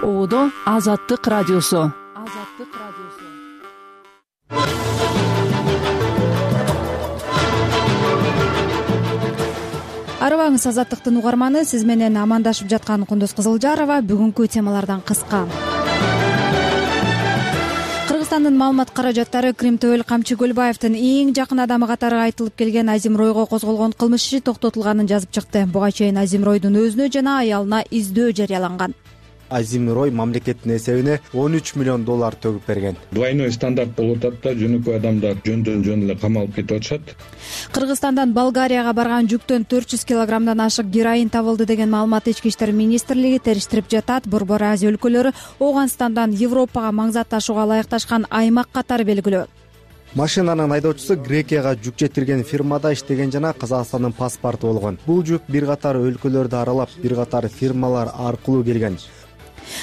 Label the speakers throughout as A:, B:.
A: Оодо Азаттык радиосу.
B: Арыбаңыз Азаттыктын угарманы, сиз менен амандашып жаткан Кундуз Кызылжарова. Бүгүнкү темалардан кыска. Кыргызстандын маалымат каражаттары Крим Төбөл Камчы Көлбаевдин эң жакын адамы катары айтылып келген Азим Ройго козголгон кылмыш иши токтотулганын жазып чыкты. Буга чейин Азим Ройдун өзүнө жана аялына издөө жарыяланган.
C: Азим Рой мамлекеттин эсебине $13 миллион төгүп берген.
D: Двойной стандарт болуп атат да, жөнөкөй адамдар жөн эле камалып кетип атышат.
B: Кыргызстандан Болгарияга барган жүктөн 400 килограммдан ашык героин табылды деген маалымат Ички иштер министрлиги териштирип жатат. Борбор Азия өлкөлөрү Ооганстандан Европага маңзат ташууга ылайыкташкан аймак катары белгилөө.
C: Машинанын айдоочусу Грекияга жүк жеткирген фирмада иштеген жана Казакстандын паспорту болгон. Бул жүк бир катар өлкөлөрдү аралап, бир катар фирмалар аркылуу келген.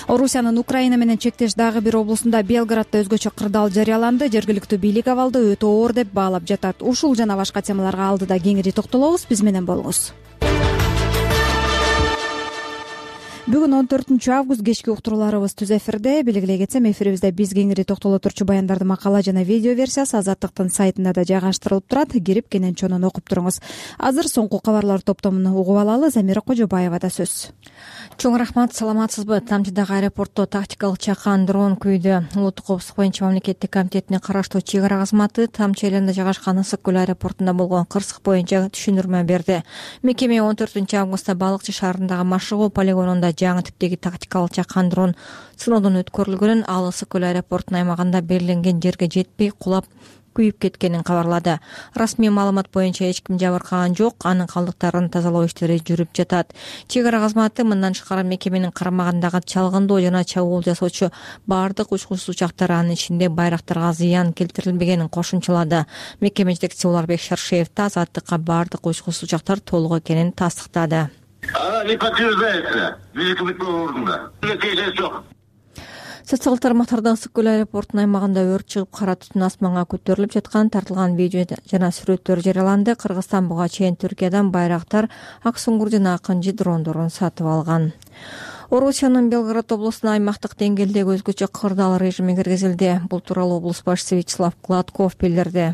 B: Орусиянын Украина менен чектеш дагы бир облусунда Белградда өзгөчө кырдаал жарыяланды. Жергиликтүү бийлик абалды өтө оор деп баалап жатат. Ушул жана башка темаларга алдыда кеңири токтолобуз. Биз менен болуңуз. Бүгүн 14-август кечки уктурууларыбыз түз эфирде. Белгилей кетсем, эфирибизде биз кеңири токтоло турчу баяндарды макала жана видео версиясы Азаттыктын сайтында да жайгаштырылып турат. Кирип кенен чонун окуп туруңуз. Азыр соңку кабарлар топтомун угуп алалы. Замира Кожобаевада сөз.
E: Чоң рахмат, саламатсызбы? Тамчыдагы аэропортто тактикалык чакан дрон күйдү. Улуттук коопсуздук боюнча мамлекеттик комитетине караштуу чек ара кызматы Тамчы айланында жайгашкан Ысык көл аэропортунда болгон кырсык боюнча түшүндүрмө берди. Мекеме 14-августта Балыкчы шаарындагы Машыгуу полигонунда жаңы типтеги тактикалык чакан дрон сыноодон өткөрүлгөнүн, ал Ысык көл аэропортунун аймагында белгиленген жерге жетпей кулап күйүп кеткенин кабарлады. Расмий маалымат боюнча эч ким жабыркаган жок, анын калдыктарын тазалоо иштери жүрүп жатат. Чек ара кызматы мындан тышкары мекеменин карамагындагы чалгындоо жана чабуул жасоочу баардык учкучсуз учактар, анын ичинде байрактарга зыян келтирилбегенин кошумчалады. Мекеме жетекчиси Уларбек Шаршеев да Азаттыкка баардык учкучсуз учактар толук экенин тастыктады.
F: Не подтверждается. Великобытного ордена. Жок.
E: Социалдык тармактарда Ысык көл аэропортунун аймагында өрт чыгып, кара түтүн асманга көтөрүлүп жаткан тартылган видео жана сүрөттөр жарыяланды. Кыргызстан буга чейин Түркиядан байрактар, ак суңгур жана акынжы дрондорун сатып алган. Орусиянын Белгород облусуна аймактык деңгээлдеги өзгөчө кырдаал режими киргизилди. Бул тууралуу облус башчысы Вячеслав Гладков билдирди.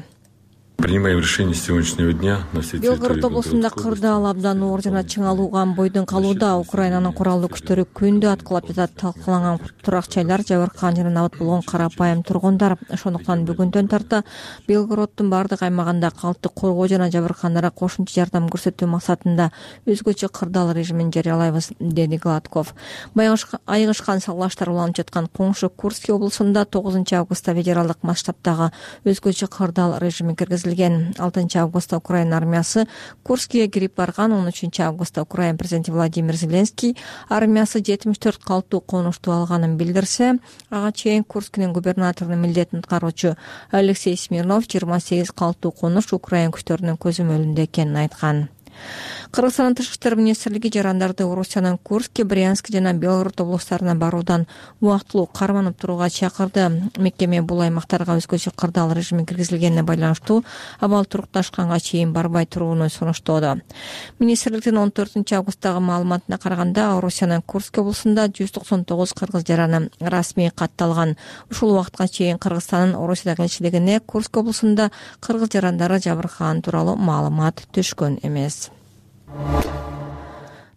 G: Принимаем решение с сегодняшнего дня на всей территории
E: Белгород облусунда кырдаал абдан оор жана чыңалууган бойдон калууда. Украинанын куралдуу күчтөрү күндү аткылап жатат. Талкаланган турак жайлар, жабыркаган жана набат болгон карапайым тургундар. Ошондуктан бүгүндөн тарта Белгороддун бардык аймагында калкты коргоо жана жабыркагандарга кошумча жардам көрсөтүү максатында өзгөчө кырдаал режимин жарыялайбыз, деди Гладков. Айыгышкан салаштар уланып жаткан коңшу Курский облусунда 9-августта федералдык масштабтагы өзгөчө кырдаал режими киргизилди. 6-августта Украина армиясы Курскиге кирип барган. 13-августта Украина президенти Владимир Зеленский армиясы 74 калктуу конушту алганын билдирсе, ага чейин Курскинин губернаторунун милдетин аткаруучу Алексей Смирнов 28 калктуу конуш Украина күчтөрүнүн көзөмөлүндө экенин айткан. Кыргызстандын тышкы иштер министрлиги жарандарды Орусиянын Курск, Брянск жана Белгород облустарына баруудан убактылуу карманып турууга чакырды. Мекеме бул аймактарга өзгөчө кырдаал режими киргизилгенине байланыштуу абал турукташканга чейин барбай турууну сунуштоодо. Министрликтин 14-августтагы маалыматына караганда, Орусиянын Курск облусунда 199 кыргыз жараны расмий катталган. Ушул убакытка чейин Кыргызстандын Орусиядагы элчилигине Курск облусунда кыргыз жарандары жабыркаган тууралуу маалымат түшкөн эмес.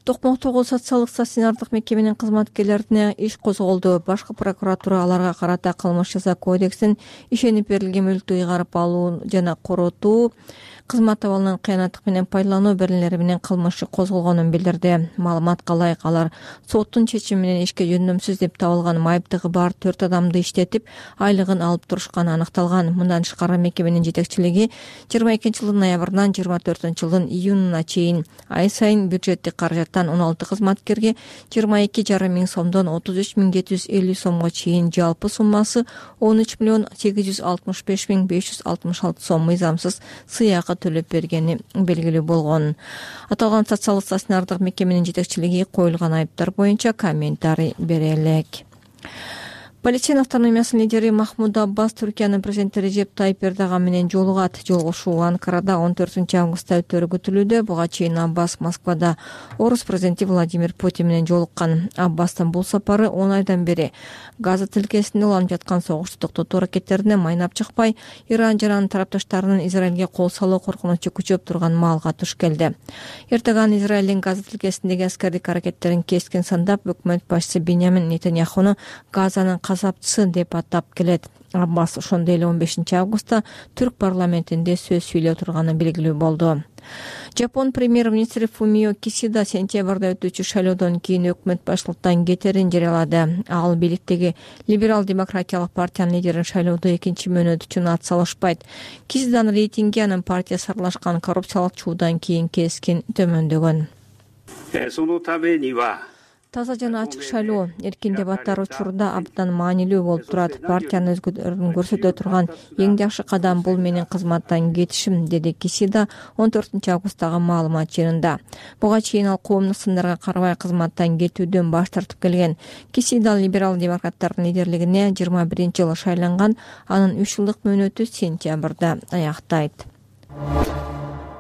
E: Токмоктогу социалдык стационардык мекеменин кызматкерлерине иш козголду. Башкы прокуратура аларга карата кылмыш жаза кодексин ишенип берилген мүлктү ыйгарып алуу жана коротуу, кызмат абалынын кыянаттык менен пайдалануу беренелери менен кылмышы козголгонун билдирди. Маалыматка ылайык, алар соттун чечими менен ишке жөндөмсүз деп табылган майыптыгы бар 4 адамды иштетип, айлыгын алып турушканы аныкталган. Мындан тышкары мекеменин жетекчилиги 22-жылдын ноябрынан 24-жылдын июнуна чейин ай сайын бюджеттик каражаттан 16 кызматкерге 22,5 миң сомдон 33,750 сомго чейин жалпы суммасы 13,865,566 сом мыйзамсыз сыйакы төлөп бергени белгилүү болгон. Аталган социалдык стационардык мекеменин жетекчилиги коюлган айыптар боюнча комментарий бере элек. Палестина автономиясынын лидери Махмуд Аббас Түркиянын президенти Режеп Тайип Эрдоган менен жолугат. Жолугушуу Анкарада 14-августта өтөрү күтүлүүдө. Буга чейин Аббас Москвада орус президенти Владимир Путин менен жолуккан. Аббастын бул сапары 10 айдан бери Газа тилкесинде уланып жаткан согушту токтотуу аракеттерине майнап чыкпай, Иран жана анын тарапташтарынын Израилге кол салуу коркунучу күчөп турган маалга туш келди. Эрдоган Израилдин Газа тилкесиндеги аскердик аракеттерин кескин сандап, өкмөт башчысы Беньямин Нетаньяхуну Газанын касапчысы деп атап келет. Аббас ошондой эле 15-августта түрк парламентинде сөз сүйлөп турганы белгилүү болду. Жапон премьер-министри Фумио Кисида сентябрда өтүүчү шайлоодон кийин өкмөт башчылыктан кетерин жарыялады. Ал бийликтеги либерал-демократиялык партиянын лидерин шайлоодо экинчи мөөнөт үчүн ат салышпайт. Кисиданын рейтинги анын партиясы аралашкан коррупциялык чуудан кийин кескин төмөндөгөн. Таза жана ачык шайлоо эркин дебаттар учурда абдан маанилүү болуп турат. Партиянын өзгөрүүн көрсөтө турган эң жакшы кадам бул менин кызматтан кетишим, деди Кисида 14-августтагы маалымат жыйынында. Буга чейин ал коомдук сындарга карабай кызматтан кетүүдөн баш тартып келген. Кисида либерал-демократтардын лидерлигине 21-жылы шайланган, анын 3 жылдык мөөнөтү сентябрда аяктайт.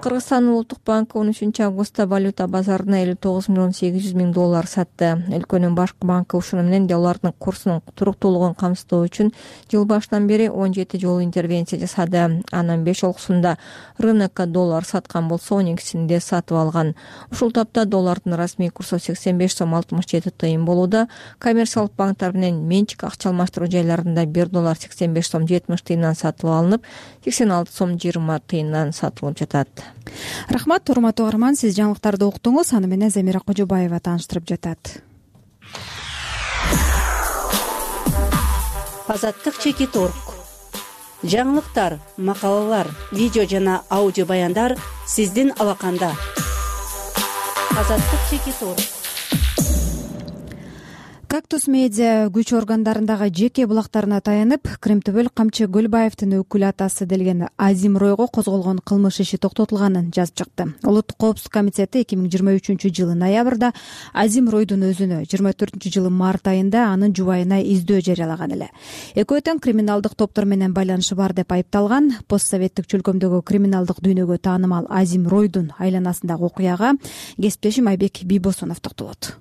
E: Кыргызстандын Улуттук банкы 13-августта валюта базарына $59,800,000 сатты. Өлкөнүн башкы банкы ушуну менен доллардын курсунун туруктуулугун камсыздоо үчүн жыл башынан бери 17 жолу интервенция жасады. Анын 5 олкусунда рынокко доллар саткан болсо, 12-синде сатып алган. Ушул тапта доллардын расмий курсу 85 сом 67 тыйын болууда. Коммерциялык банктар менен менчик акча алмаштыруу жайларында 1 доллар 85 сом 70 тыйындан сатылып алынып, 86 сом 20 тыйындан сатылып жатат.
B: Рахмат, урматтуу угарман, сиз жаңылыктарды уктуңуз. Аны менен Замира Кожобаева тааныштырып жатат.
H: Азаттык Чекиторг. Жаңылыктар, макалалар, видео жана аудио баяндар сиздин алаканда. Азаттык Чекиторг.
B: Кактус медиа күч органдарындагы жеке булактарына таянып, Кремтөбөл Камчы Гөлбаевдин өкүл атасы делген Азим Ройго козголгон кылмыш иши токтотулганын жазып чыкты. Улуттук коопсуздук комитети 2023-жылы ноябрда Азим Ройдун өзүнө, 24-жылы март айында анын жубайына издөө жарыялаган эле. Экөө тең криминалдык топтор менен байланышы бар деп айыпталган. Постсоветтик чөлкөмдөгү криминалдык дүйнөгө таанымал Азим Ройдун айланасындагы окуяга кесиптешим Айбек Бийбосунов токтолот.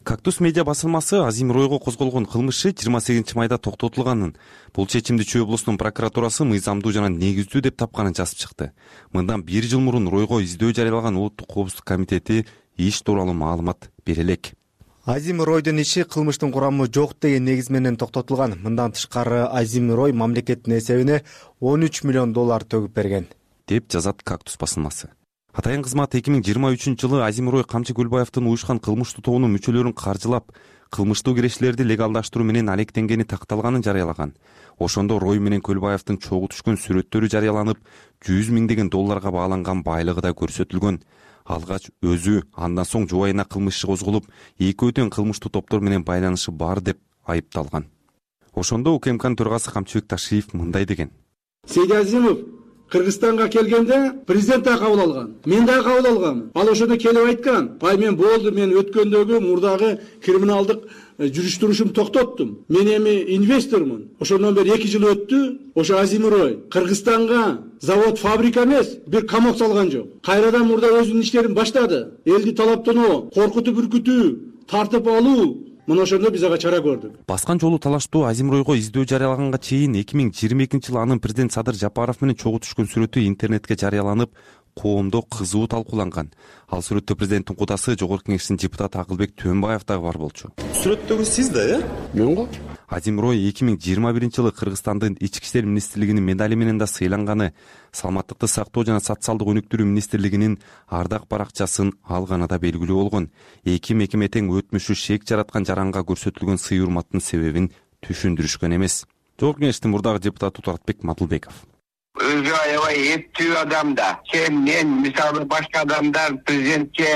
I: Кактус медиа басылмасы Азим Ройго козголгон кылмышы 28-майда токтотулганын, бул чечимди Чүй облусунун прокуратурасы мыйзамдуу жана негиздүү деп тапканын жазып чыкты. Мындан 1 жыл мурун Ройго издөө жарыялаган Улуттук коопсуздук комитети иш тууралуу маалымат бере элек.
C: Азим Ройдун иши кылмыштын курамы жок деген негиз менен токтотулган. Мындан тышкары Азим Рой мамлекеттин эсебине $13 миллион төгүп берген,
I: деп жазат Кактус басылмасы. Атайын кызмат 2023-жылы Азим Рой Камчы Гөлбаевдин уюшкан кылмыштуу тобунун мүчөлөрүн каржылап, кылмыштуу кирешилерди легалдаштыруу менен алектенгени такталганын жарыялаган. Ошондо Рой менен Гөлбаевдин чогуу түшкөн сүрөттөрү жарыяланып, 100 миңдеген долларга бааланган байлыгы да көрсөтүлгөн. Алгач өзү, андан соң жубайына кылмыш иши козголуп, экөө тең кылмыштуу топтор менен байланышы бар деп айыпталган. Ошондо УКМКнын төрагасы Камчыбек Ташиев мындай деген:
J: Сейди Азимов Кыргызстанга келгенде президент да кабыл алган. Мен да кабыл алгам. Ал ошондо келип айткан: "Бай, мен болду, мен өткөндөгү мурдагы криминалдык жүрүш-турушумду токтоттум. Мен эми инвестормун." Ошондон бери 2 жыл өттү. Ошо Азим Рой Кыргызстанга завод, фабрика эмес, бир камок салган жок. Кайрадан мурда өзүнүн иштерин баштады. Элди талаптануу, коркутуп үркүтүү, тартып алуу. Мына ошондо биз ага чара көрдүк.
I: Баскан жолу талаштуу Азим Ройго издөө жарыялаганга чейин 2022-жылы анын президент Садыр Жапаров менен чогуу түшкөн сүрөтү интернетке жарыяланып, коомдо кызуу талкууланган. Ал сүрөттө президенттин кудасы Жогорку Кеңештин депутаты Акылбек Төөнбаев дагы бар болчу.
K: Сүрөттөгү сиз да, Мен го?
I: Азим Рой 2021-жылы Кыргызстандын Ички иштер министрлигинин медали менен да сыйланганы, саламаттыкты сактоо жана социалдык өнүктүрүү министрлигинин ардак баракчасын алганы да белгилүү болгон. Эки мекеме тең өтмүшү шек жараткан жаранга көрсөтүлгөн сый урматтын себебин түшүндүрүшкөн эмес. Жогорку Кеңештин мурдагы депутаты Туратбек Мадылбеков:
F: Өзү аябай эптүү адам да. Мен мисалы башка адамдар президентке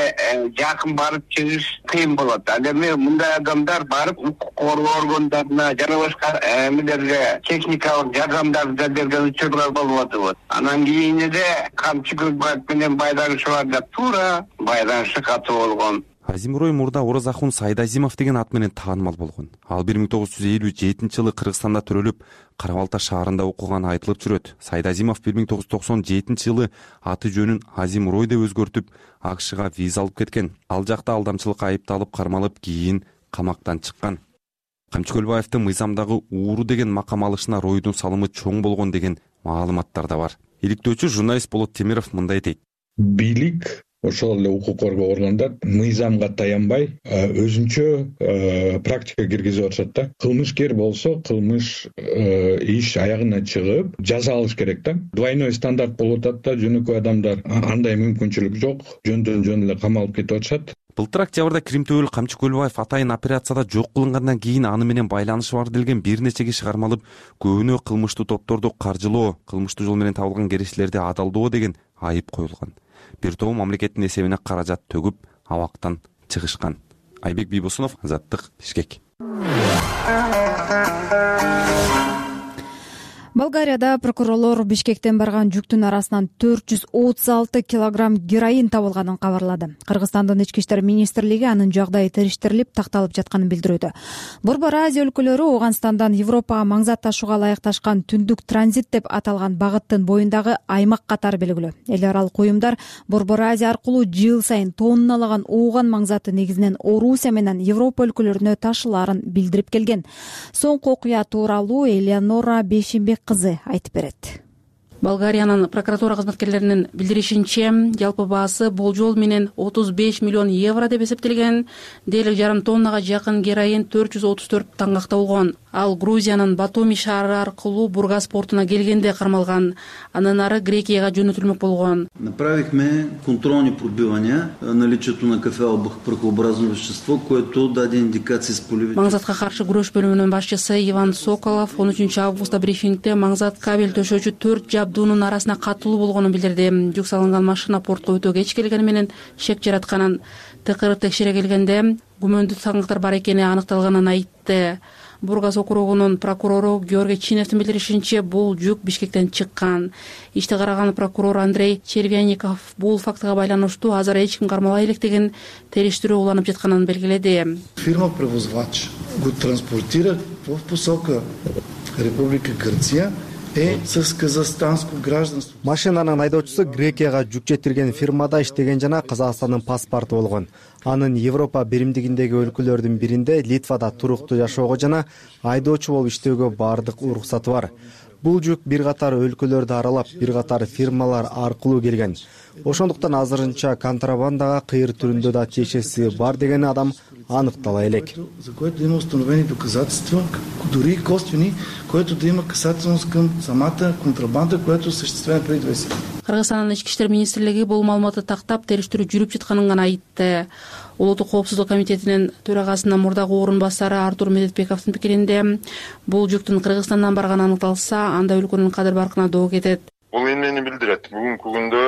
F: жакын барып чыгыш кыйын болот. Ал эми мындай адамдар барып укук коргоо органдарына жана башка эмелерге техникалык жардамдарды да берген учурлар болуп атат. Анан кийин эле Камчы Гөлбаев менен байланышы бар да туура байланышы катуу болгон.
I: Азимрой мурда Оразахун Сайдазимов деген ат менен таанымал болгон. Ал 1957-жылы Кыргызстанда төрөлүп, Кара Балта шаарында окуганы айтылып жүрөт. Сайдазимов 1997-жылы аты жөнүн Азимрой деп өзгөртүп, АКШга виза алып кеткен. Ал жакта алдамчылыкка айыпталып, кармалып, кийин камактан чыккан. Камчы Көлбаевдин мыйзамдагы ууру деген макам алышына Ройдун салымы чоң болгон деген маалыматтар да бар. Иликтөөчү журналист Болот Темиров мындай дейт.
D: Бийлик ошол эле укук коргоо органдар мыйзамга таянбай өзүнчө практика киргизип атышат да. Кылмышкер болсо кылмыш иш аягына чыгып жаза алыш керек да. Двойной стандарт болуп атат да, жөнөкөй адамдар андай мүмкүнчүлүк жок, жөндөн жөн эле камалып кетип атышат.
I: Былтыр октябрда Кримтөбөл Камчы Көлбаев атайын операцияда жок кылынгандан кийин аны менен байланышы бар делген бир нече киши кармалып, көбүнө кылмыштуу топторду каржылоо, кылмыштуу жол менен табылган керештерди адалдоо деген айып коюлган. Бир тобу мамлекеттин эсебине каражат төгүп, абактан чыгышкан. Айбек Бийбосунов, Азаттык, Бишкек.
B: Болгарияда прокурорлор Бишкектен барган жүктүн арасынан 436 килограмм героин табылганын кабарлады. Кыргызстандын ички иштер министрлиги анын жагдайы териштирилип, такталып жатканын билдирүүдө. Борбор Азия өлкөлөрү Ооганстандан Европага маңзат ташууга ылайыкташкан түндүк транзит деп аталган багыттын боюндагы аймак катары белгилүү. Эл аралык уюмдар Борбор Азия аркылуу жыл сайын тонналаган ооган маңзаты негизинен Орусия менен Европа өлкөлөрүнө ташылаарын билдирип келген. Соңку окуя тууралуу Элеонора Бейшимбек кызы айтып берет.
L: Болгариянын прокуратура кызматкерлеринин билдиришинче, жалпы баасы болжол менен 35 миллион евро деп эсептелген. Дээрлик жарым тоннага жакын героин 434 таңгакта болгон. Ал Грузиянын Батуми шаары аркылуу Бургас портуна келгенде кармалган. Андан ары Грекияга жөнөтүлмөк болгон.
M: Направихме контролни пробивания наличието на кафеол прахообразно вещество, което даде индикации с полевите.
L: Маңзатка каршы күрөш бөлүмүнүн башчысы Иван Соколов 13 августта брифингде маңзат кабель төшөөчү 4 жабдуунун арасына катылуу болгонун билдирди. Жүк салынган машина портко өтө кеч келгени менен шек жаратканын, тыкырып текшере келгенде күмөндүү таңгактар бар экени аныкталганын айтты. Бургас округунун прокурору Георгий Чиневдин билдиришинче, бул жүк Бишкектен чыккан. Ишти караган прокурор Андрей Червяников бул фактыга байланыштуу азыр эч ким кармалай элек деген териштирүү уланып жатканын белгиледи.
N: Фирма-превозвач го транспортира в посока Република Грция с казахстанско гражданство.
C: Машинанын айдоочусу Грекияга жүк жетирген фирмада иштеген жана Казакстандын паспорту болгон. Анын Европа биримдигиндеги өлкөлөрдүн биринде Литвада туруктуу жашоого жана айдоочу болуп иштөөгө бардык уруксаты бар. Бул жүк бир катар өлкөлөрдү аралап, бир катар фирмалар аркылуу келген. Ошондуктан азырынча контрабандага кыйыр түрүндө да тиешеси бар деген адам аныктала элек.
N: За което има установени доказателства, дори и косвени, което да има касателност към самата контрабанда, която осъществена преди 20 години.
L: Кыргызстандын ички иштер министрлиги бул маалыматты тактап, териштирүү жүрүп жатканын гана айтты. Улуттук коопсуздук комитетинин төрагасынын мурдагы орун басары Артур Медетбековдун пикиринде, бул жүктүн Кыргызстандан барганы аныкталса, анда өлкөнүн кадыр баркына доо кетет.
O: Бул эмнени билдирет? Бүгүнкү күндө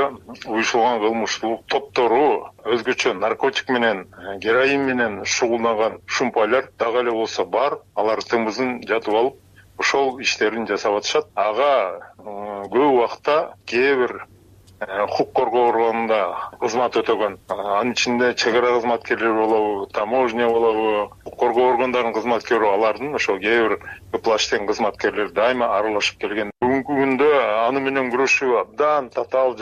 O: уюшулган кылмыштуулук топтору өзгөчө наркотик менен, героин менен шугулданган шумпайлар дагы эле болсо бар. Алар тымызын жатып алып, ошол иштерин жасап атышат. Ага көп убакта кээ бир укук коргоо органында кызмат өтөгөн, анын ичинде чек ара кызматкерлери болобу, таможня болобу, укук коргоо органдарынын кызматкери, алардын ошол кээ бир плаштен кызматкерлери дайыма аралашып келген. Бүгүнкү күндө аны менен күрөшүү абдан татаал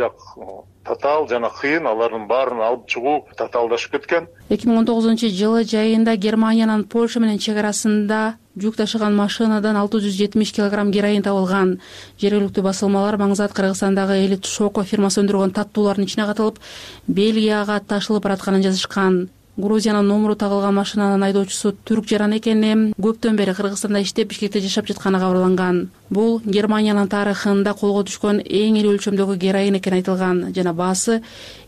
O: жана кыйын, алардын баарын алып чыгуу татаалдашып кеткен.
L: 2019 жылы жайында Германиянын Польша менен чек арасында жүк ташыган машинадан 670 килограмм героин табылган. Жергиликтүү басылмалар маңзат Кыргызстандагы Элит Шоко фирмасы өндүргөн таттуулардын ичине катылып, Бельгияга ташылып баратканын жазышкан. Грузиянын номуру тагылган машинанын айдоочусу түрк жаран экени, көптөн бери Кыргызстанда иштеп, Бишкекте жашап жатканы кабарланган. Бул Германиянын тарыхында колго түшкөн эң ири өлчөмдөгү героин экени айтылган жана баасы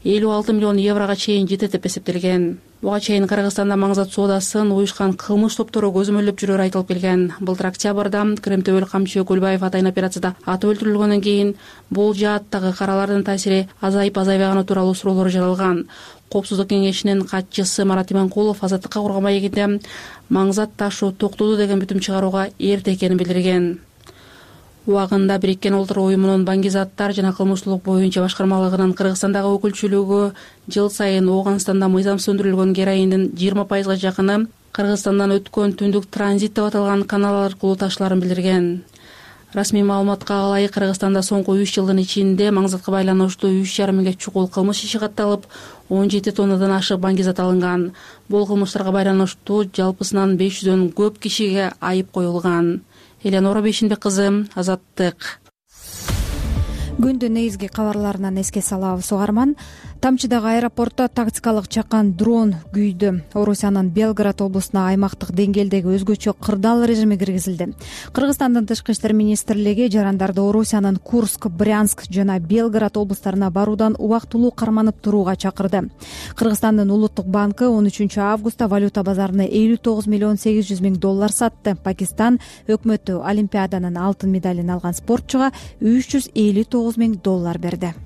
L: 56 миллион еврога чейин жетет деп эсептелген. Буга чейин Кыргызстанда маңзат соодасын уюшкан кылмыш топтору көзөмөлдөп жүрөрү айтылып келген. Былтыр октябрда Кримтөбөл Камчы Көлбаев атайын операцияда атып өлтүрүлгөндөн кийин бул жааттагы каралардын таасири азайбаганы тууралуу суроолор жаралган. Коопсуздук кеңешинин катчысы Марат Иманкулов Азаттыкка курган маегинде маңзат ташуу токтоду деген бүтүм чыгарууга эрте экенин билдирген. убагында Бириккен Улуттар уюмунун баңгизаттар жана кылмыштуулук боюнча башкармалыгынын Кыргызстандагы өкүлчүлүгү жыл сайын Ооганстанда мыйзамсыз өндүрүлгөн героиндин 20%га жакыны Кыргызстандан өткөн түндүк транзит деп аталган канал аркылуу ташыларын билдирген. Расмий маалыматка ылайык Кыргызстанда соңку 3 жылдын ичинде маңзатка байланыштуу 3,5 миңге чукул кылмыш иши катталып, 17 тоннадан ашык баңгизат алынган. Бул кылмыштарга байланыштуу жалпысынан 500дөн көп кишиге айып коюлган. Эленора Бейшинбек кызы, Азаттык.
B: Күндүн негизги кабарларынан эске салабыз угарман. Тамчыдагы аэропортто тактикалык чакан дрон күйдү. Орусиянын Белград облусуна аймактык деңгээлдеги өзгөчө кырдаал режими киргизилди. Кыргызстандын Тышкы иштер министрлиги жарандарды Орусиянын Курск, Брянск жана Белград облустарына баруудан убактылуу карманып турууга чакырды. Кыргызстандын Улуттук банкы 13 августта валюта базарына 59 миллион 800 миң доллар сатты. Пакистан өкмөтү Олимпиаданын алтын медалин алган спортчуга 359 миң доллар берди.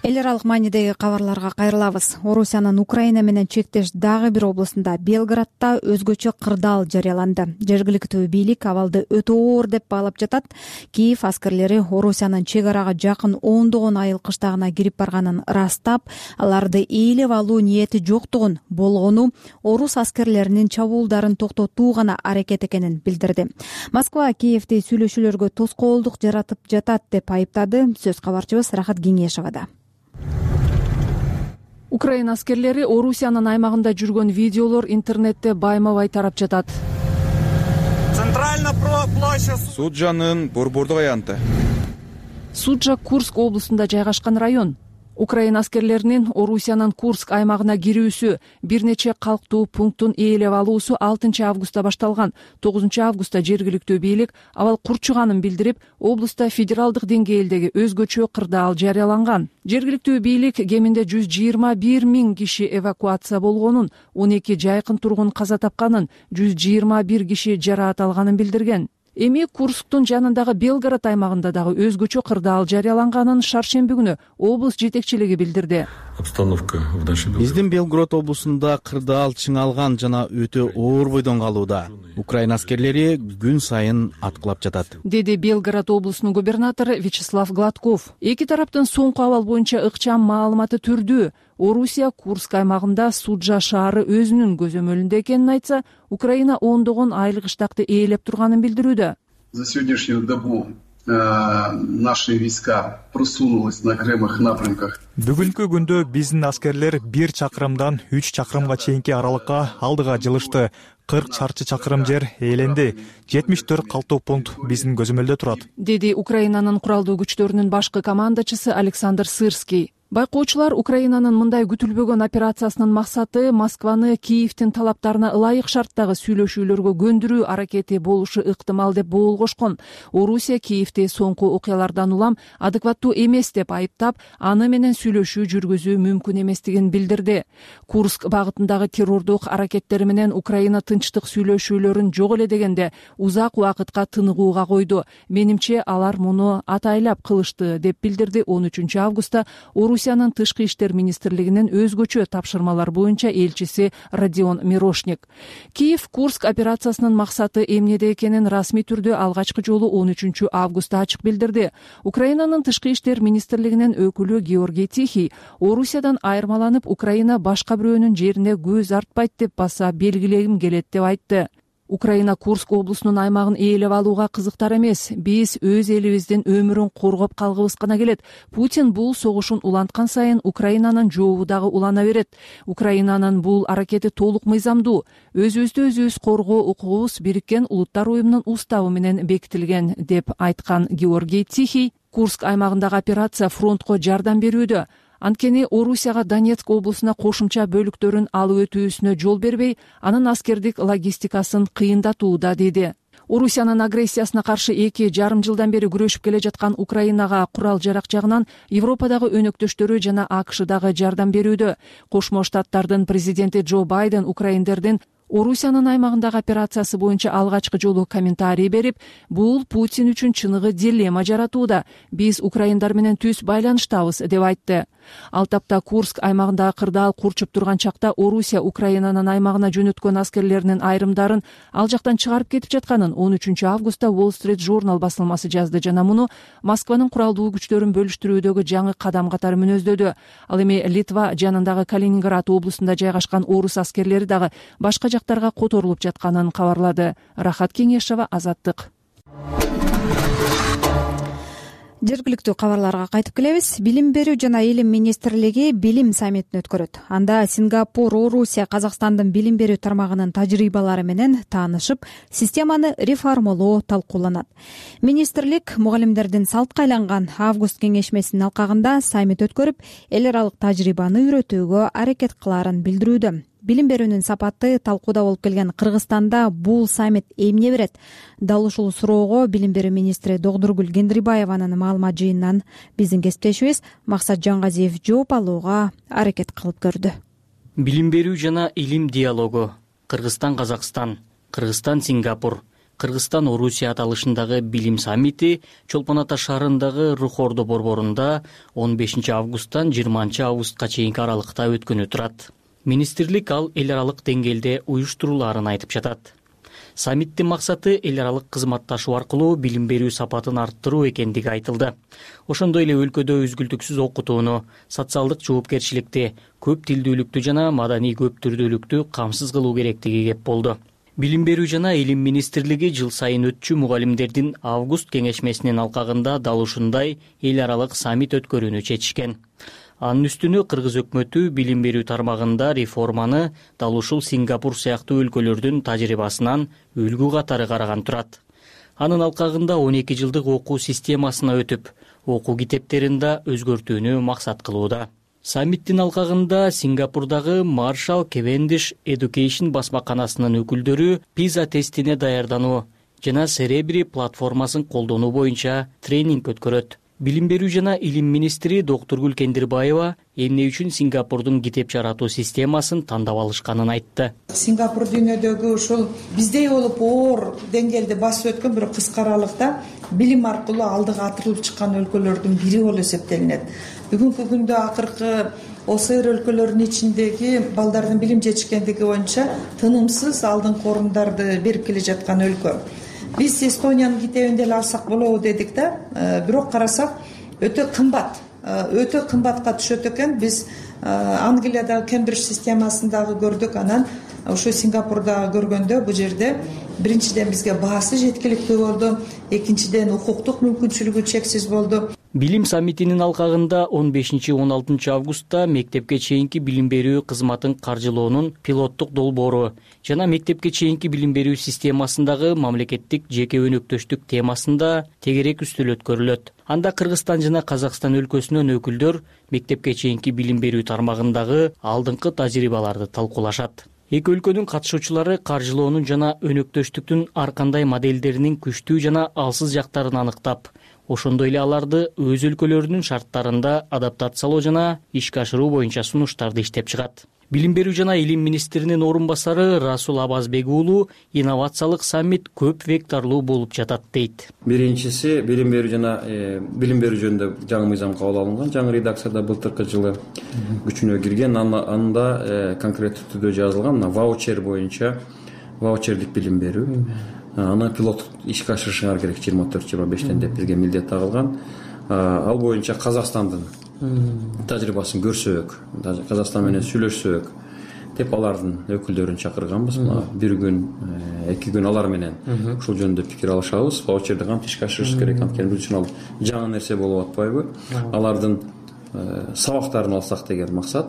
B: Эл аралык маанидеги кабарларга кайрылабыз. Орусиянын Украина менен чектеш дагы бир облусунда Белградда өзгөчө кырдаал жарыяланды. Жергиликтүү бийлик абалды өтө оор деп баалап жатат. Киев аскерлери Орусиянын чек арага жакын ондогон айыл кыштагына кирип барганын ырастап, аларды ээлеп алуу ниети жоктугун, болгону орус аскерлеринин чабуулдарын токтотуу гана аракет экенин билдирди. Москва Киевди сүйлөшүүлөргө тоскоолдук жаратып жатат деп айыптады. Сөз кабарчыбыз Рахат Кеңешовада.
A: Украина аскерлери Орусиянын аймагында жүргөн видеолор интернетте байма-бай тарап жатат.
P: Суджанын борбордук аянты.
A: Суджа Курск облусунда жайгашкан район. Украина аскерлеринин Орусиянын Курск аймагына кирүүсү, бир нече калктуу пункттун ээлеп алуусу 6 августта башталган. 9 августта жергиликтүү бийлик абал курчуганын билдирип, облуста федералдык деңгээлдеги өзгөчө кырдаал жарыяланган. Жергиликтүү бийлик кеминде 121 миң киши эвакуация болгонун, 12 жайкын тургун каза тапканын, 121 киши жараат алганын билдирген. Эми Курсктун жанындагы Белград аймагында дагы өзгөчө кырдаал жарыяланганын шаршемби күнү облус жетекчилиги билдирди.
Q: Биздин Белград облусунда кырдаал чыңалган жана өтө оор бойдон калууда. Украина аскерлери күн сайын аткылап жатат,
A: деди Белград облусунун губернатору Вячеслав Гладков. Эки тараптын соңку абал боюнча ыкчам маалыматы түрдүү. Орусия Курск аймагында Суджа шаары өзүнүн көзөмөлүндө экенин айтса, Украина ондогон айыл кыштакты ээлеп турганын билдирүүдө.
R: За сегодняшнюю добу наши войска просунулись на окремых напрямках.
S: Бүгүнкү күндө биздин аскерлер 1 чакырымдан 3 чакырымга чейинки аралыкка алдыга жылышты. 40 чарчы чакырым жер ээленди. 74 калктуу пункт биздин көзөмөлдө турат,
A: деди Украинанын куралдуу күчтөрүнүн башкы командачысы Александр Сырский. Байкоочулар Украинанын мындай күтүлбөгөн операциясынын максаты Москваны Киевдин талаптарына ылайык шарттагы сүйлөшүүлөргө көндүрүү аракети болушу ыктымал деп боолгошкон. Орусия Киевди соңку окуялардан улам адекваттуу эмес деп айыптап, аны менен сүйлөшүү жүргүзүү мүмкүн эместигин билдирди. Курск багытындагы террордук аракеттери менен Украина тынчтык сүйлөшүүлөрүн жок эле дегенде узак убакытка тыныгууга койду. Менимче алар муну атайлап кылышты деп билдирди 13 августта Орусиянын Тышкы иштер министрлигинин өзгөчө тапшырмалар боюнча элчиси Родион Мирошник. Киев Курск операциясынын максаты эмнеде экенин расмий түрдө алгачкы жолу 13 августта ачык билдирди. Украинанын Тышкы иштер министрлигинин өкүлү Георгий Тихий Орусиядан айырмаланып Украина башка бирөөнүн жерине көз артпайт деп баса белгилегим келет деп айтты. Украина Курск облусунун аймагын ээлеп алууга кызыктар эмес. Биз өз элибиздин өмүрүн коргоп калгыбыз гана келет. Путин бул согушун уланткан сайын Украинанын жообу дагы улана берет. Украинанын бул аракети толук мыйзамдуу. Өзүбүздү өзүбүз коргоо укугубуз Бириккен Улуттар уюмунун уставы менен бекитилген деп айткан Георгий Тихий. Курск аймагындагы операция фронтко жардам берүүдө. Анткени Орусияга Донецк облусуна кошумча бөлүктөрүн алып өтүүсүнө жол бербей, анын аскердик логистикасын кыйындатууда деди. Орусиянын агрессиясына каршы 2,5 жылдан бери күрөшүп келе жаткан Украинага курал жарак жагынан Европадагы өнөктөштөрү жана АКШдагы жардам берүүдө. Кошмо Штаттардын президенти Джо Байден украиндердин Орусиянын аймагындагы операциясы боюнча алгачкы жолу комментарий берип, бул Путин үчүн чыныгы дилемма жаратууда. Биз украиндар менен түз байланыштабыз деп айтты. Ал тапта Курск аймагындагы кырдаал курчуп турган чакта Орусия Украинанын аймагына жөнөткөн аскерлеринин айрымдарын ал жактан чыгарып кетип жатканын 13 августта Wall Street Journal басылмасы жазды жана муну Москванын куралдуу күчтөрүн бөлүштүрүүдөгү жаңы кадам катары мүнөздөдү. Ал эми Литва жанындагы Калининград облусунда жайгашкан орус аскерлери дагы башка жактарга которулуп жатканын кабарлады. Рахат Кеңешова, Азаттык.
B: Жергиликтүү кабарларга кайтып келебиз. Билим берүү жана илим министрлиги билим саммитин өткөрөт. Анда Сингапур, Орусия, Казакстандын билим берүү тармагынын тажрыйбалары менен таанышып, системаны реформалоо талкууланат. Министрлик мугалимдердин салтка айланган август кеңешмесинин алкагында саммит өткөрүп, эл аралык тажрыйбаны үйрөтүүгө аракет кылаарын билдирүүдө. Билим берүүнүн сапаты талкууда болуп келген Кыргызстанда бул саммит эмне берет? Дал ушул суроого билим берүү министри Догдургүл Кендирбаеванын маалымат жыйынынан биздин кесиптешибиз Максат Жангазиев жооп алууга аракет кылып көрдү.
T: Билим берүү жана илим диалогу Кыргызстан-Казакстан, Кыргызстан-Сингапур, Кыргызстан-Орусия аталышындагы билим саммити Чолпон Ата шаарындагы Рухордо борборунда 15 августтан 20 августка чейинки аралыкта өткөнү турат. Министрлик ал эл аралык деңгээлде уюштурулаарын айтып жатат. Саммиттин максаты эл аралык кызматташуу аркылуу билим берүү сапатын арттыруу экендиги айтылды. Ошондой эле өлкөдө үзгүлтүксүз окутууну, социалдык жоопкерчиликти, көп тилдүүлүктү жана маданий көп түрдүүлүктү камсыз кылуу керектиги кеп болду. Билим берүү жана илим министрлиги жыл сайын өтчү мугалимдердин август кеңешмесинин алкагында дал ушундай эл аралык саммит өткөрүүнү чечишкен. Анын үстүнө кыргыз өкмөтү билим берүү тармагында реформаны дал ушул Сингапур сыяктуу өлкөлөрдүн тажрыйбасынан үлгү катары караган турат. Анын алкагында 12 жылдык окуу системасына өтүп, окуу китептерин да өзгөртүүнү максат кылууда. Саммиттин алкагында Сингапурдагы Marshall Cavendish Education басмаканасынын өкүлдөрү PISA тестине даярдануу жана Cerebri платформасын колдонуу боюнча тренинг өткөрөт. Билим берүү жана илим министри Докторгүл Кендирбаева эмне үчүн Сингапурдун китеп жаратуу системасын тандап алышканын айтты.
U: Сингапур дүйнөдөгү ушул биздей болуп оор деңгээлде басып өткөн бирок кыска аралыкта билим аркылуу алдыга атырылып чыккан өлкөлөрдүн бири болуп эсептелинет. Бүгүнкү күндө акыркы ОСР өлкөлөрүнүн ичиндеги балдардын билим жетишкендиги боюнча тынымсыз алдыңкы орундарды берип келе жаткан өлкө. Биз Эстониянын китебин деле алсак болобу дедик да, бирок карасак өтө кымбатка түшөт экен. Биз Англиядагы Кембридж системасын дагы көрдүк, анан ошо Сингапурда көргөндө бул жерде биринчиден бизге баасы жеткиликтүү болду, экинчиден укуктук мүмкүнчүлүгү чексиз болду.
T: Билим саммитинин алкагында 15-16 августта мектепке чейинки билим берүү кызматын каржылоонун пилоттук долбоору жана мектепке чейинки билим берүү системасындагы мамлекеттик жеке өнөктөштүк темасында тегерек үстүл өткөрүлөт. Анда Кыргызстан жана Казакстан өлкөсүнөн өкүлдөр мектепке чейинки билим берүү тармагындагы алдыңкы тажрыйбаларды талкуулашат. Эки өлкөнүн катышуучулары каржылоонун жана өнөктөштүктүн ар кандай моделдеринин күчтүү жана алсыз жактарын аныктап, ошондой эле аларды өз өлкөлөрүнүн шарттарында адаптациялоо жана ишке ашыруу боюнча сунуштарды иштеп чыгат. Билим берүү жана илим министринин орун басары Расул Абазбек уулу инновациялык саммит көп векторлуу болуп жатат дейт.
V: Биринчиси билим берүү жана билим берүү жөнүндө жаңы мыйзам кабыл алынган, жаңы редакцияда былтыркы жылы күчүнө кирген. Анда конкреттүү түрдө жазылган ваучер боюнча ваучерлик билим берүү. Аны пилоттук ишке ашырышыңар керек 24-25 деп бизге милдет тагылган. Ал боюнча Казакстандын тажрыйбасын көрсөк, Казакстан менен сүйлөшсөк деп алардын өкүлдөрүн чакырганбыз. Бир күн, 2 күн алар менен ушул жөнүндө пикир алышабыз. Ваучерди кантип ишке ашырыш керек, анткени бул үчүн ал жаңы нерсе болуп атпайбы? Алардын сабактарын алсак деген максат.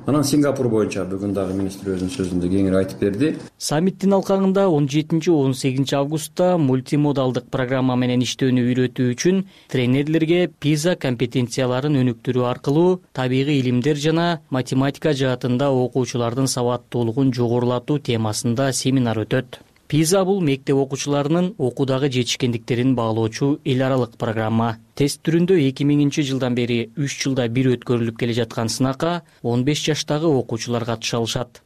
V: Анан Сингапур боюнча бүгүн дагы министр өзүнүн сөзүндө кеңири айтып берди.
T: Саммиттин алкагында 17-18 августта мультимодалдык программа менен иштөөнү үйрөтүү үчүн тренерлерге PISA компетенцияларын өнүктүрүү аркылуу табигый илимдер жана математика жаатында окуучулардын сабаттуулугун жогорулатуу темасында семинар өтөт. PISA бул мектеп окуучуларынын окуудагы жетишкендиктерин баалоочу эл аралык программа. Тест түрүндө 2000 жылдан бери 3 жылда бир өткөрүлүп келе жаткан сынакка 15 жаштагы окуучулар катыша алышат.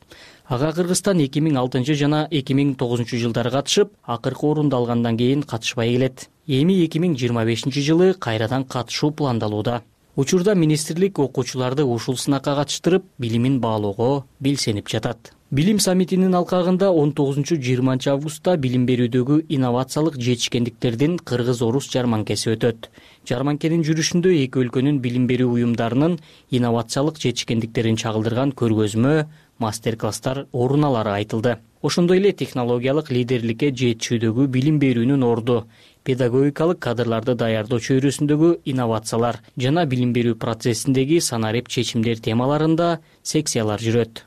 T: Ага Кыргызстан 2006 жана 2009 жылдары катышып, акыркы орунду алгандан кийин катышпай келет. Эми 2025 жылы кайрадан катышуу пландалууда. Учурда министрлик окуучуларды ушул сынакка катыштырып, билимин баалоого белсенип жатат. Билим саммитинин алкагында 19-20 августта билим берүүдөгү инновациялык жетишкендиктердин кыргыз-орус жарманкеси өтөт. Жарманкенин жүрүшүндө эки өлкөнүн билим берүү уюмдарынын инновациялык жетишкендиктерин чагылдырган көргөзмө, мастер-класстар орун алары айтылды. Ошондой эле технологиялык лидерликке жетишүүдөгү билим берүүнүн орду, педагогикалык кадрларды даярдоо чөйрөсүндөгү инновациялар жана билим берүү процессиндеги санарип чечимдер темаларында секциялар жүрөт.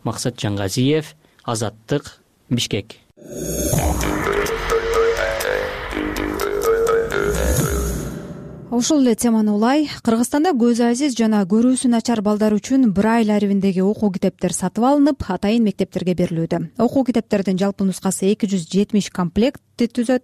T: Максат Жаңгазиев, Азаттык, Бишкек.
B: Ушул эле теманы улай, Кыргызстанда көзү азиз жана көрүүсү начар балдар үчүн Брайль арибиндеги окуу китептер сатып алынып, атайын мектептерге берилүүдө. Окуу китептердин жалпы нускасы 270 комплектти түзөт.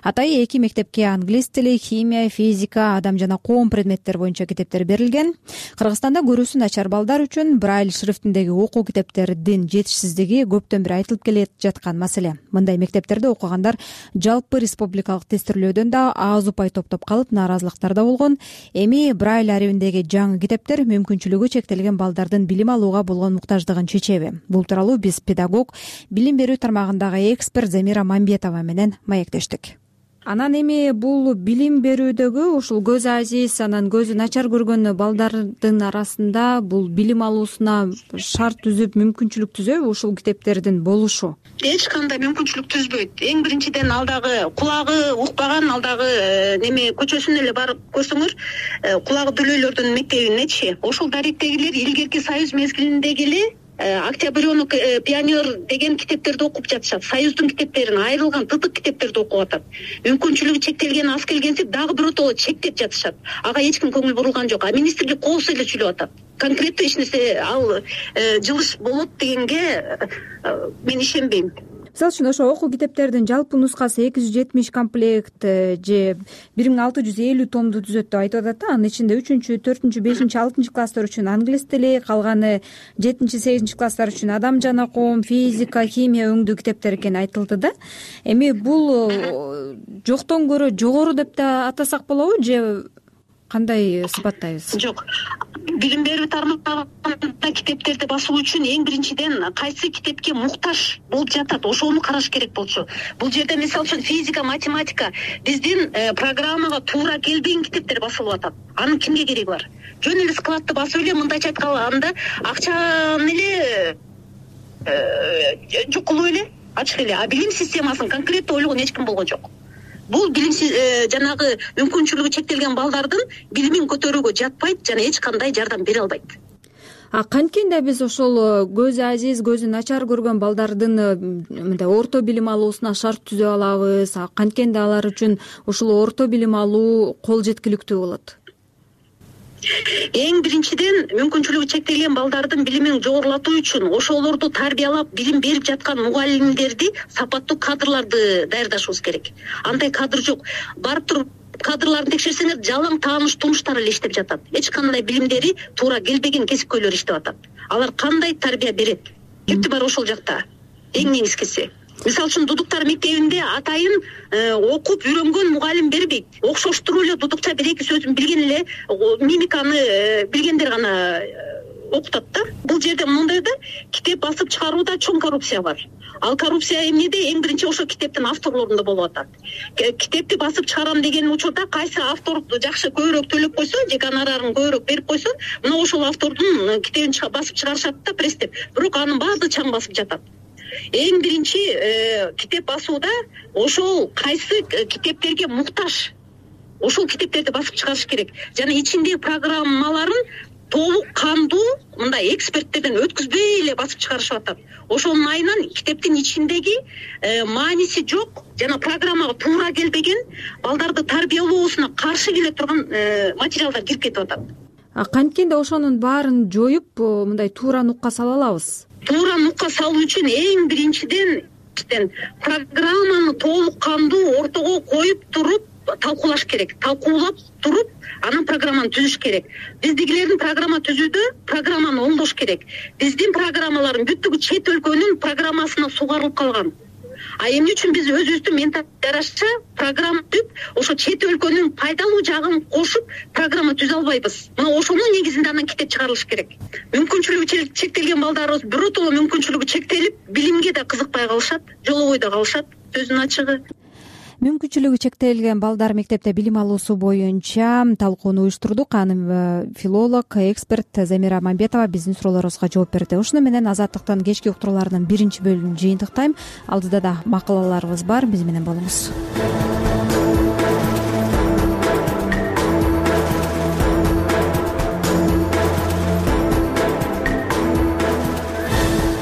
B: Атайын 2 мектепке англис тили, химия, физика, адам жана коом предметтер боюнча китептер берилген. Кыргызстанда көрүүсү начар балдар үчүн Брайль шрифтиндеги окуу китептердин жетишсиздиги көптөн бери айтылып келе жаткан маселе. Мындай мектептерде окугандар жалпы республикалык тестирлөөдөн да аз упай топтоп калып, нааразылыктар болгон. Эми Брайль арибиндеги жаңы китептер мүмкүнчүлүгү чектелген балдардын билим алууга болгон муктаждыгын чечеби? Бул тууралуу биз педагог, билим берүү тармагындагы эксперт Замира Мамбетова менен маектештик. Анан эми бул билим берүүдөгү ушул көзү азиз, анан көзү начар көргөн балдардын арасында бул билим алуусуна шарт түзүп, мүмкүнчүлүк түзөбү ушул китептердин болушу?
E: Эч кандай мүмкүнчүлүк түзбөйт. Эң биринчиден алдагы кулагы укпаган алдагы неме көчөсүнө эле барып көрсөңөр, кулагы дүлөйлөрдүн мектебинечи. Ошол даректегилер илгерки Союз мезгилиндеги эле Октябрёнок, Пионер деген китептерди окуп жатышат. Союздун китептерин, айрылган тытык китептерди окуп атат. Мүмкүнчүлүгү чектелген аз келгенсип дагы биротоло чектеп жатышат. Ага эч ким көңүл бурулган жок. А министрлик коопсуз эле сүйлөп атат. Конкреттүү эч нерсе ал жылыш болот дегенге мен ишенбейм.
B: Мисалы үчүн ошо окуу китептердин жалпы нускасы 270 комплект же 1650 томду түзөт деп айтып атат да. Анын ичинде 3-чү, 4-чү, 5-чи, 6-чы класстар үчүн англис тили, калганы 7-чи, 8-чи класстар үчүн адам жана коом, физика, химия өңдүү китептер экени айтылды да. Эми бул жоктон көрө жогору деп да атасак болобу же кандай сыпаттайбыз?
E: Жок. Билим берүү тармагында китептерди басуу үчүн эң биринчиден кайсы китепке муктаж болуп жатат, ошону караш керек болчу. Бул жерде мисалы үчүн физика, математика биздин программага туура келбеген китептер басылып атат. Анын кимге кереги бар? Жөн эле складты басып эле, мындайча айтканда акчаны эле жукулуп эле, ачык эле. А билим системасын конкреттүү ойлогон эч ким болгон жок. Бул билим жанагы мүмкүнчүлүгү чектелген балдардын билимин көтөрүүгө жатпайт жана эч кандай жардам бере албайт.
B: Канткенде биз ошол көзү азиз, көзү начар көргөн балдардын мындай орто билим алуусуна шарт түзө алабыз? Канткенде алар үчүн ушул орто билим алуу кол жеткиликтүү болот?
E: Эң биринчиден мүмкүнчүлүгү чектелген балдардын билимин жогорулатуу үчүн ошолорду тарбиялап билим берип жаткан мугалимдерди, сапаттуу кадрларды даярдашыбыз керек. Андай кадр жок. Барып туруп кадрларын текшерсеңер, жалаң тааныш тумуштар эле иштеп жатат. Эч кандай билимдери туура келбеген кесипкөйлөр иштеп атат. Алар кандай тарбия берет? Кепти бар ошол жакта. Эң негизгиси. Мисалы үчүн дудуктар мектебинде атайын окуп үйрөнгөн мугалим бербейт. Окшоштуруп эле дудукча бир-эки сөзүн билген эле мимиканы билгендер гана окутат да. Бул жерде мындай да китеп басып чыгарууда чоң коррупция бар. Ал коррупция эмнеде? Эң биринчи ошо китептин авторлорунда болуп атат. Китепти басып чыгарам деген учурда кайсы автор жакшы көбүрөөк төлөп койсо, же гонорарын көбүрөөк берип койсо, мына ошол автордун китебин басып чыгарышат да пресстеп. Бирок анын баардыгы чаң басып жатат. Эң биринчи китеп басууда ошол кайсы китептерге муктаж, ошол китептерди басып чыгарыш керек. Жана ичиндеги программаларын толук кандуу мындай эксперттерден өткүзбөй эле басып чыгарышып атат. Ошонун айынан китептин ичиндеги мааниси жок жана программага туура келбеген, балдарды тарбиялоосуна каршы келе турган материалдар кирип кетип атат.
B: Канткенде ошонун баарын жоюп, мындай туура нукка сала алабыз?
E: Туура нукка салуу үчүн эң биринчиден программаны толук кандуу ортого коюп туруп талкуулаш керек. Талкуулап туруп, анан программаны түзүш керек. Биздегилердин программа түзүүдө программаны оңдош керек. Биздин программалардын бүттүгү чет өлкөнүн программасына сугарылып калган. эмне үчүн биз өзүбүздүн менталитке жараша программа түзүп ошо чет өлкөнүн пайдалуу жагын кошуп программа түзө албайбыз? Мына ошонун негизинде анан китеп чыгарылыш керек. Мүмкүнчүлүгү чектелген балдарыбыз биротоло мүмкүнчүлүгү чектелип, билимге да кызыкпай калышат, жолобой да калышат. Сөздүн ачыгы.
B: Мүмкүнчүлүгү чектелген балдар мектепте билим алуусу боюнча талкууну уюштурдук. Аны филолог, эксперт Замира Мамбетова биздин суроолорубузга жооп берди. Ушуну менен Азаттыктын кечки уктурууларынын биринчи бөлүмүн жыйынтыктайм. Алдыда да макалаларыбыз бар. Биз менен болуңуз.